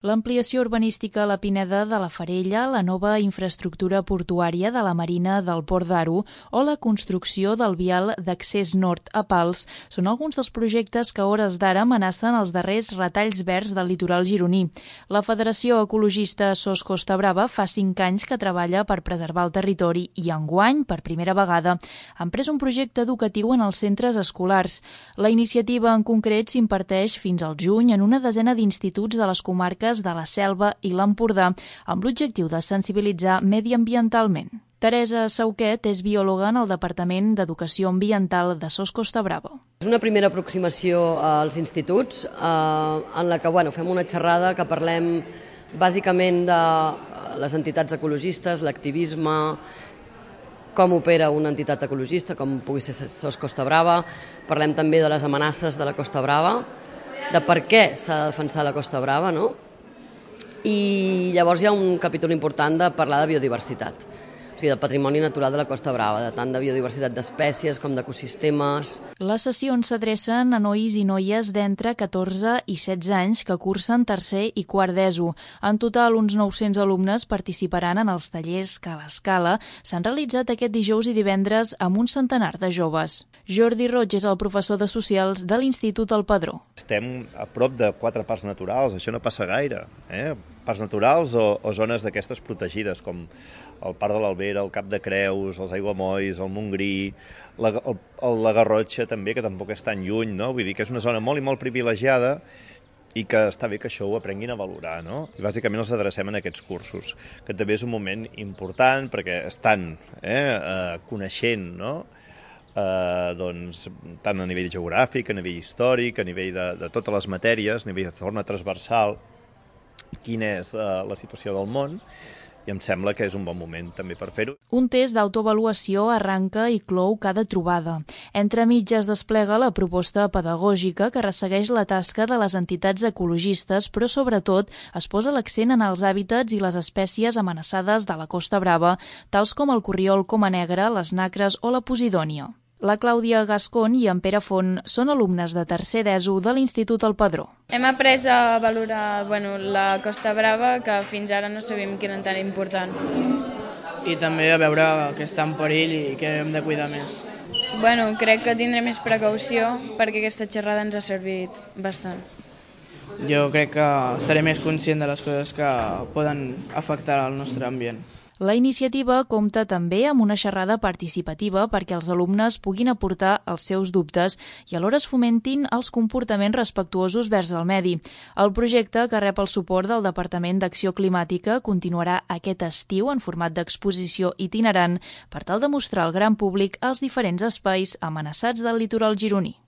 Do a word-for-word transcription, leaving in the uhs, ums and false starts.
L'ampliació urbanística a la Pineda de la Farella, la nova infraestructura portuària de la Marina del Port d'Aro o la construcció del vial d'accés nord a Pals són alguns dels projectes que a hores d'ara amenacen els darrers retalls verds del litoral gironí. La Federació Ecologista Sos Costa Brava fa cinc anys que treballa per preservar el territori i enguany, per primera vegada, han pres un projecte educatiu en els centres escolars. La iniciativa en concret s'imparteix fins al juny en una desena d'instituts de les comarques de la Selva i l'Empordà, amb l'objectiu de sensibilitzar mediambientalment. Teresa Sauquet és biòloga en el Departament d'Educació Ambiental de Sos Costa Brava. És una primera aproximació als instituts eh, en la que bueno, fem una xerrada que parlem bàsicament de les entitats ecologistes, l'activisme, com opera una entitat ecologista, com pugui ser Sos Costa Brava. Parlem també de les amenaces de la Costa Brava, de per què s'ha de defensar la Costa Brava, no? I llavors hi ha un capítol important de parlar de biodiversitat, o sigui, del patrimoni natural de la Costa Brava, de tant de biodiversitat d'espècies com d'ecosistemes. Les sessions s'adrecen a nois i noies d'entre catorze i setze anys que cursen tercer i quart d'ESO. En total, uns nou-cents alumnes participaran en els tallers que a l'escala s'han realitzat aquest dijous i divendres amb un centenar de joves. Jordi Roig és el professor de Socials de l'Institut El Padró. Estem a prop de quatre parcs naturals, això no passa gaire, eh? Parcs naturals o, o zones d'aquestes protegides, com el Parc de l'Albera, el Cap de Creus, els Aiguamolls, el Montgrí, la, el, el, la Garrotxa també, que tampoc és tan lluny, no? Vull dir que és una zona molt i molt privilegiada i que està bé que això ho aprenguin a valorar, no? I bàsicament els adrecem en aquests cursos, que també és un moment important perquè estan eh, eh, coneixent, no? Eh, doncs, tant a nivell geogràfic, a nivell històric, a nivell de, de totes les matèries, a nivell de forma transversal, quina és eh, la situació del món, i em sembla que és un bon moment també per fer-ho. Un test d'autoavaluació arranca i clou cada trobada. Entre mitges desplega la proposta pedagògica que ressegueix la tasca de les entitats ecologistes, però sobretot es posa l'accent en els hàbitats i les espècies amenaçades de la Costa Brava, tals com el corriol coma negre, les nacres o la posidònia. La Clàudia Gascon i en Pere Font són alumnes de tercer d'ESO de l'Institut El Padró. Hem après a valorar bueno, la Costa Brava, que fins ara no sabíem que era tan important. I també a veure que està en perill i que hem de cuidar més. Bueno, crec que tindré més precaució perquè aquesta xerrada ens ha servit bastant. Jo crec que estaré més conscient de les coses que poden afectar el nostre ambient. La iniciativa compta també amb una xerrada participativa perquè els alumnes puguin aportar els seus dubtes i alhora es fomentin els comportaments respectuosos vers el medi. El projecte, que rep el suport del Departament d'Acció Climàtica, continuarà aquest estiu en format d'exposició itinerant per tal de mostrar al gran públic els diferents espais amenaçats del litoral gironí.